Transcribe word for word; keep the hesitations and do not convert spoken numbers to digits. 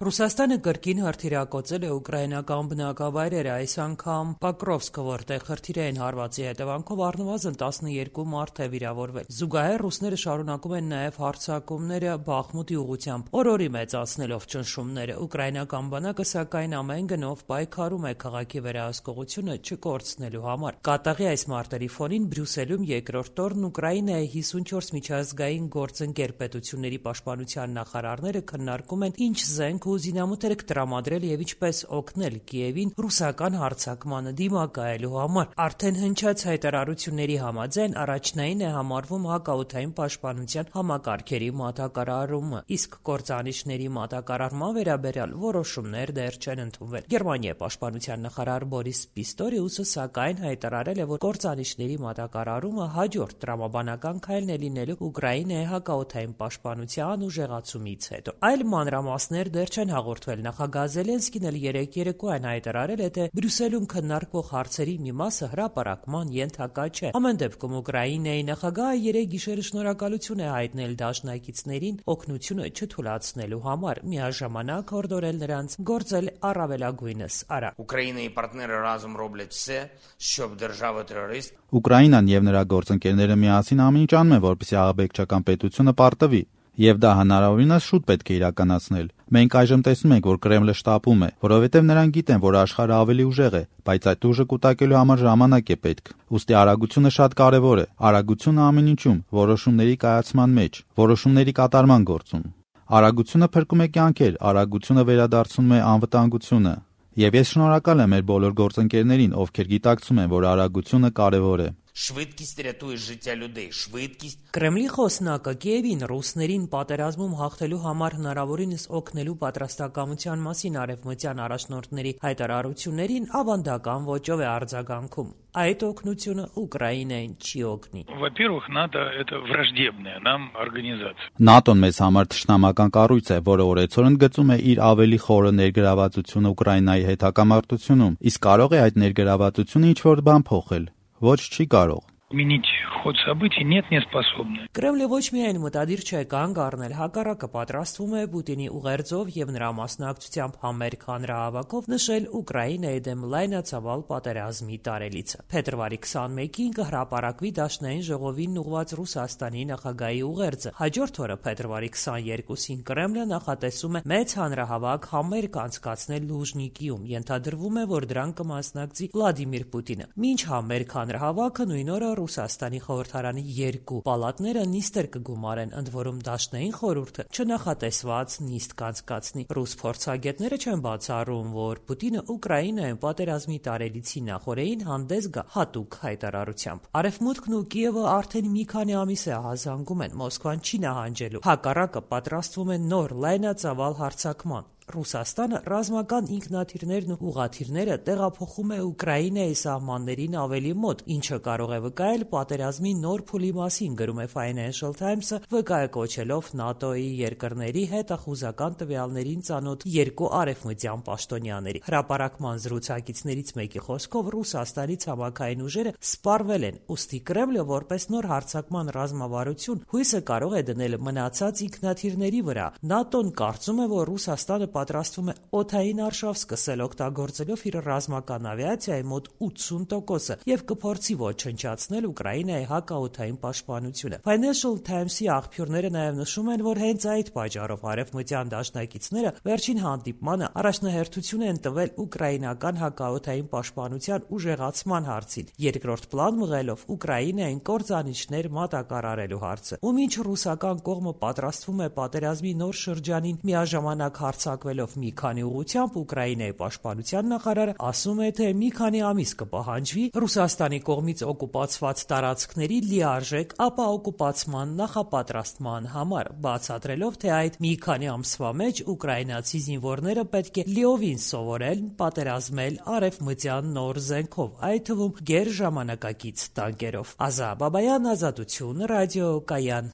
Ռուսաստանը կրկին հրթիռակոծել է ուկրաինական բնակավայրերը, այս անգամ Պոկրովսկը, որտեղ հրթիռային հարվածի հետևանքով առնվազն տասնյոթ մարդ է վիրավորվել։ Զուգահեռ ռուսները շարունակում են նաև հարձակումները Բախմուտի ուղղությամբ, օր-օրի մեծացնելով ճնշումները։ Ուկրաինական բանակը, սակայն, ամեն գնով պայքարում է քաղաքի վերահսկողությունը չկորցնելու համար։ Կատաղի այս մարտերի ֆոնին Բրյուսելում երկրորդ օրն Ուկրաինայի հիսունչորս միջազգային գործընկեր պետությունների պաշտպանության նախարարները քննարկում են ինչ զենք ու զինամթերք տրամադրել եւ ինչպես օգնել Կիևին ռուսական հարձակմանը դիմակայելու համար։ Արդեն հնչած հայտարարությունների համաձայն առաջնային է համարվում հակաօդային պաշտպանության համակարգերի մատակարարումը, իսկ կործանիչների մատակարարման վերաբերյալ որոշումներ դեռ չեն ընդունվել։ Գերմանիայի պաշտպանության նախարար Բորիս Պիստորիուսը, սակայն, հայտարարել է, որ կործանիչների մատակարարումը հաջորդ տրամաբանական քայլն է լինելու Ուկրաինայի հակաօդային պաշտպանության ուժեղացումից հետո։ Այլ մանրամասներ դեռ չեն հաղորդվել։ Նախագահ Զելենսկին էլ երեկ երեկոյան հայտարարել է, թե Բրյուսելում քննարկվող հարցերի մի մասը հրապարակման ենթակա չէ։ Ամեն դեպքում Ուկրաինայի նախագահը երեկ գիշերը շնորհակալություն է հայտնել դաշնակիցներին օգնությունը չթուլացնելու համար, միաժամանակ հորդորել նրանց գործել առավելագույնս արագ։ Ուկրաինայի պարտները ռազում ռոբլետ վսե, щоб держава-терорист Ուկրաինան եւ նրա գործընկերները միասին ամեն ինչ անում են, որպեսզի ահաբեկչական պետությունը պարտվի, եւ դա հնարավորինս շուտ պետք է իրականացնել։ Մենք այժմ տեսնում ենք, որ Կրեմլը շտապում է, որովհետեւ նրանք գիտեն, որ աշխարհը ավելի ուժեղ է, բայց այդ ուժը կուտակելու համար ժամանակ է պետք։ Ուստի արագությունը շատ կարեւոր է։ Արագությունը ամեն ինչում, որոշումների կայացման մեջ, որոշումների կատարման գործում։ Արագությունը փրկում է կյանքեր, արագությունը վերադարձնում է անվտանգությունը։ Եվ ես շնորհակալ եմ մեր բոլոր գործընկերներին, ովքեր գիտակցում են, որ արագությունը կարեւոր է։ Շվիդկիստ ռятує життя людей, շվիդկիստ։ Կրեմլի խոսնակը Կիևին ռուսներին պատերազմում հաղթելու համար հնարավորինս օգնելու պատրաստակամության մասին արևմտյան առաջնորդների հայտարարություններին ավանդական ոճով է արձագանքում։ Այդ օգնությունը Ուկրաինային չի օգնի։ Во-первых, НАТО это враждебная нам организация։ ՆԱՏՕ-ն մեզ համար թշնամական կառույց է, որը օրեցօր ընդգծում է իր ավելի խորը ներգրավվածությունը Ուկրաինայի հետ հակամարտությունում, իսկ կարող է այդ ներգրավվածությունը ինչ-որ բան փոխել։ Ոչ, չի կարող։ Изменить ход событий нет, не способны։ Կրեմլը ոչ միայն մտադիր չէ կանգ առնել, հակառակը պատրաստվում է Պուտինի ուղերձով եւ նրա մասնակցությամբ համերգ հանրահավաքով նշել Ուկրաինայի դեմ լայնածավալ պատերազմի տարելիցը։ Փետրվարի քսանմեկին կհրապարակվի Դաշնային ժողովին ուղղված Ռուսաստանի նախագահի ուղերձը։ Հաջորդ օրը փետրվարի քսաներկուսին Կրեմլը նախատեսում է մեծ հանրահավաք համերգ անցկացնել Լուժնիկիում։ Ենթադրվում է, որ դրան կմասնակցի Վլադիմիր Պուտինը։ Մինչ համերգ հանրահավաքը նույն օրը Ռուսաստանի խորհրդարանի երկու պալատները նիստեր կգումարեն, ընդ որում Դաշնային խորհուրդը չնախատեսված նիստ կանցկացնի։ Ռուս փորձագետները չեն բացառում, որ Պուտինը Ուկրաինայում պատերազմի տարելիցի նախօրեին հանդես գա հատուկ հայտարարությամբ։ Արևմուտքն ու Կիևը արդեն մի քանի ամիս է ահազանգում են, Մոսկվան չի նահանջելու, հակառակը պատրաստվում են նոր լայնածավալ հարձակման։ Ռուսաստանը ռազմական ինքնաթիռներն ու ուղաթիռները տեղափոխում է Ուկրաինայի սահմաններին ավելի մոտ, ինչը կարող է վկայել պատերազմի նոր փուլի մասին, գրում է Financial Times-ը, վկայակոչելով ՆԱՏՕ-ի երկրների հետախուզական տվյալներին ծանոթ երկու արևմտյան պաշտոնյաների։ Հրապարակման զրուցակիցներից մեկի խոսքով Ռուսաստանի ցամաքային ուժերը սպառվել են, ուստի Կրեմլը որպես նոր հարձակման ռազմավարություն հույսը կարող է դնել մնացած ինքնաթիռների վրա։ ՆԱՏՕ-ն կարծում է, որ Ռուսաստանը պատրաստվում է օդային արշավ սկսել օգտագործելով իր ռազմական ավիացիայի մոտ ութսուն տոկոսը եւ կփորձի ոչնչացնել Ուկրաինայի հակաօդային պաշտպանությունը։ Financial Times-ի աղբյուրները նաեւ նշում են, որ հենց այդ պատճառով արևմտյան դաշնակիցները վերջին հանդիպմանը առաջնահերթություն են տվել ուկրաինական հակաօդային պաշտպանության ուժեղացման հարցին, երկրորդ պլան մղելով Ուկրաինային կործանիչներ մատակարարելու հարցը։ Ու մինչ ռուսական կողմը պատրաստվում է պատերազմի նոր շրջանին միաժամանակ հարձակվելով մի քանի ուղղությամբ, Ուկրաինայի պաշտպանության նախարարը ասում է, թե մի քանի ամիս կպահանջվի Ռուսաստանի կողմից օկուպացված տարածքների լիարժեք ապա օկուպացման նախապատրաստման համար, բացատրելով, թե այդ մի քանի ամսվա մեջ ուկրաինացի զինվորները պետք է լիովին սովորեն պատերազմել արևմտյան նոր զենքով, այդ թվում գերժամանակակից տանկերով։ Ազա Բաբայան, Ազատություն, Ռադիո Կայան։